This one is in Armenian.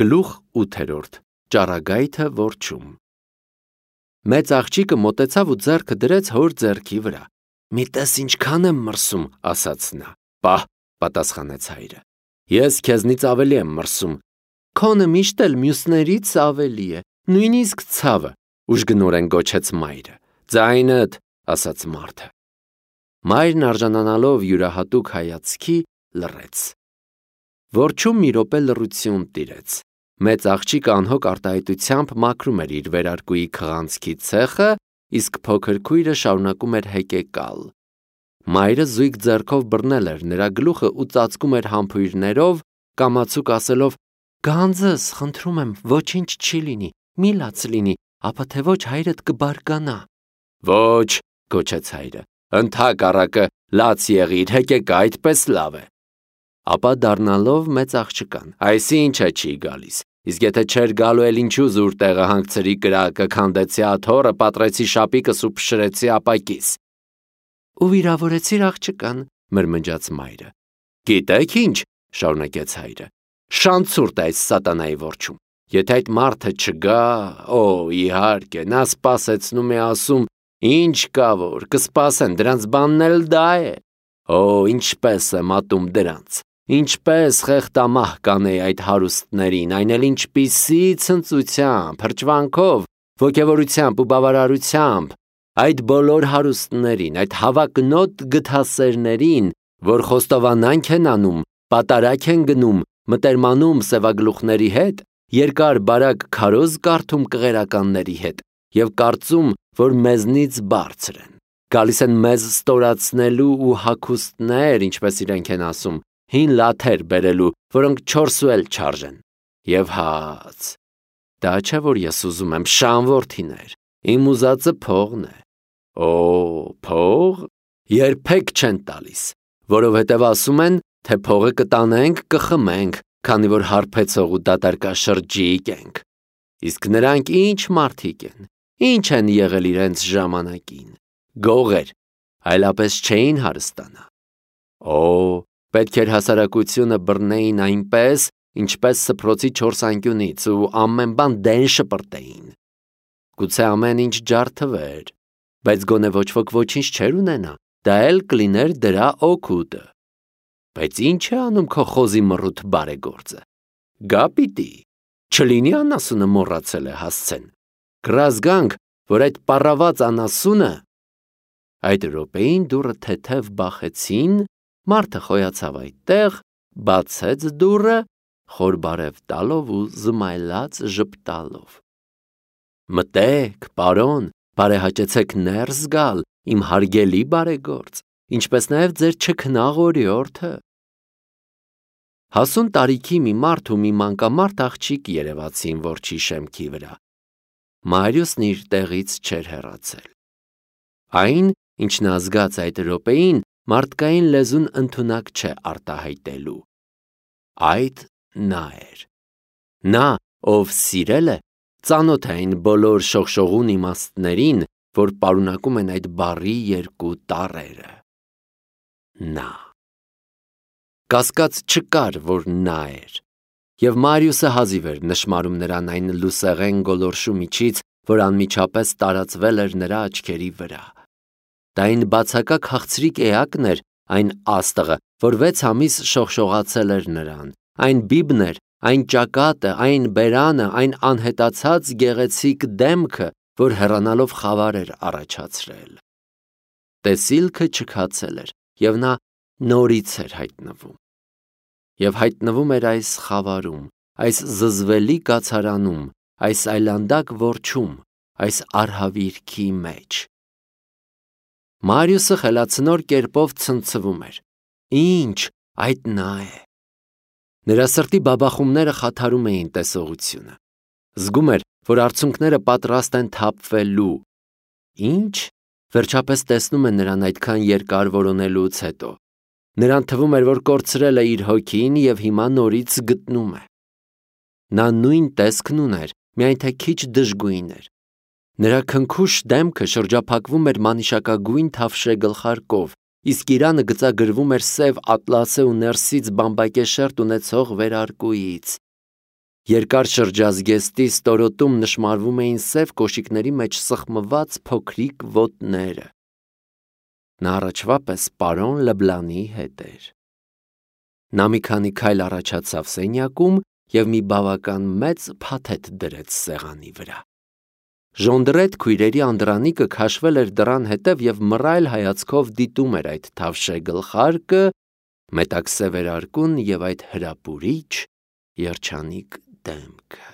Գլուխ 8. Ճառագայթը որջում։ Մեծ աղջիկը մոտեցավ ու ձեռքը դրեց հոր ձեռքի վրա։ «Մի տես ինչքան եմ մրսում», ասաց նա։ «Պահ», պատասխանեց հայրը, «ես քեզնից ավելի եմ մրսում»։ «Քոնը միշտ էլ մյուսներից ավելի է, նույնիսկ ցավը», ուժգնորեն գոչեց մայրը։ «Ձայնդ», ասաց մարդը։ Մայրն արժանանալով յուրահատուկ հայացքի լռեց։ Որջում մի րոպե լռություն տիրեց։ Մեծ աղջիկը անհոգ արտահայտությամբ մաքրում էր իր վերարկուի քղանցքի ցեխը, իսկ փոքր քույրը շարունակում էր հեկեկալ։ Մայրը զույգ ձեռքով բռնել էր նրա գլուխը ու ծածկում էր համբույրներով, կամացուկ ասելով. «Գանձս, խնդրում եմ, ոչինչ չի լինի, մի լաց լինի, ապա թե ոչ հայրդ կբարկանա»։ «Ոչ», գոչեց հայրը, «ընդհակառակը, լաց եղիր, հեկեկա, այդպես լավ է»։ Ապա դառնալով մեծ աղջկան. «Այսինչ է չի գալիս, իսկ եթե չէր գալու էլ ինչու զուր տեղը հանգցրի կրակը, քանդեցի աթոռը, պատռեցի շապիկս ու փշրեցի ապակիս»։ «Ու վիրավորեցիր աղջկան», մրմնջաց մայրը։ «Գիտեք ինչ», շարունակեց հայրը, «շանցուրտ է այս սատանայի որջում։ Եթե այդ մարդը չգա, իհարկե, նա սպասեցնում է, ասում, ինչ կա որ, կսպասեն, դրանց բանն էլ դա է։ Ինչպես եմ ատում դրանց, ինչպես խեղդամահ կանեի այդ հարուստներին, այն էլ ինչպիսի ցնծությամբ, հրճվանքով, ոգևորությամբ ու բավարարությամբ, այդ բոլոր հարուստներին, այդ հավակնոտ գթասերներին, որ խոստովանանք են անում, պատարագ են գնում, մտերմանում սևագլուխների հետ, երկար բարակ քարոզ կարդում կղերականների հետ և կարծում, որ մեզնից բարձր են, գալիս են մեզ ստորացնելու ու հագուստներ, ինչպես իրենք են ասում, հին լաթեր բերելու, որոնք չորսու էլ չարժեն։ Եվ հաց, դա չէ, որ ես ուզում եմ, շան որդիներ, իմ ուզածը փողն է։ Փող երբեք չեն տալիս, որովհետև ասում են, թե փողը կտանենք, կխմենք, քանի որ հարբեցող ու դատարկաշրջիկ ենք։ Իսկ նրանք ինչ մարդիկ են, ինչ են եղել իրենց ժամանակին, գողեր, այլապես չէին հարստանա։ Պետք էր հասարակությունը բռնեին այնպես, ինչպես սփռոցի 4 անկյունից ու ամեն բան դեն շպրտեին։ Գուցե ամեն ինչ ջարդվեր, բայց գոնե ոչ ոք ոչինչ չէր ունենա, դա էլ կլիներ դրա օգուտը։ Բայց ինչ է անում քո խոզի մռութ բարեգործը։ Գա պիտի, չլինի անասունը մոռացել է հասցեն։ Կռազգանք, որ այդ պառաված անասունը… Այդ րոպեին դուռը թեթև բախեցին, մարդը խոյացավ այդտեղ, բացեց դուռը, խոր բարև տալով ու զմայլած ժպտալով։ «Մտեք, պարոն, բարեհաճեցեք ներս գալ, իմ հարգելի բարեգործ, ինչպես նաև ձեր չքնաղ օրիորդը»։ Հասուն տարիքի մի մարդ ու մի մանկամարդ աղջիկ երևացին որջի շեմքի վրա։ Մարիուսն իր տեղից չէր հեռացել։ Այն, ինչ նա զգաց այդ րոպեին, մարդկային լեզուն ընդունակ չէ արտահայտելու։ Այդ նա էր։ Նա, ով սիրել է, ծանոթ է այն բոլոր շողշողուն իմաստներին, որ պարունակում են այդ բառի երկու տառերը։ Նա։ Կասկած չկար, որ նա էր, և Մարիուսը հազիվ էր նշմարում նրան այն լուսեղեն գոլորշու միջից, որ անմիջապես տարածվել էր նրա աչքերի վրա։ Դա այն բացակա քաղցրիկ էակն էր, այն աստղը, որ 6 ամիս շողշողացել էր նրան, այն բիբն էր, այն ճակատը, այն բերանը, այն անհետացած գեղեցիկ դեմքը, որ հեռանալով խավար էր առաջացրել։ Տեսիլքը չքացել էր, և նա նորից էր հայտնվում։ Եվ հայտնվում էր այս խավարում, այս զզվելի կացարանում, այս այլանդակ որջում, այս արհավիրքի մեջ։ Մարիուսը խելացնոր կերպով ցնցվում էր։ Ինչ, այդ նա է։ Նրա սրտի բաբախումները խաթարում էին տեսողությունը։ Զգում էր, որ արցունքները պատրաստ են թափվելու։ Ինչ, վերջապես տեսնում է նրան այդքան երկար որոնելուց հետո։ Նրան թվում էր, որ կորցրել է իր հոգին և հիմա նորից գտնում է։ Նա նույն տեսքն ուներ, միայն թե քիչ դժգույն էր։ Նրա քնքուշ դեմքը շրջափակվում էր մանիշակագույն թավշե գլխարկով, իսկ իրանը գծագրվում էր սև ատլասե ու ներսից բամբակե շերտ ունեցող վերարկուից։ Երկար շրջազգեստի ստորոտում նշմարվում էին սև կոշիկների մեջ սխմված փոքրիկ ոտները։ Նա առաջվա պես պարոն Լեբլանի հետ էր։ Նա մի քանի քայլ առաջացավ սենյակում և մի բավական մեծ փաթեթ դրեց սեղանի վրա։ Ժոնդրետ քույրերի անդրանիկը քաշվել էր դռան հետև և մռայլ հայացքով դիտում էր այդ թավշե գլխարկը, մետաքսե վերարկուն և այդ հրապուրիչ երջանիկ դեմքը։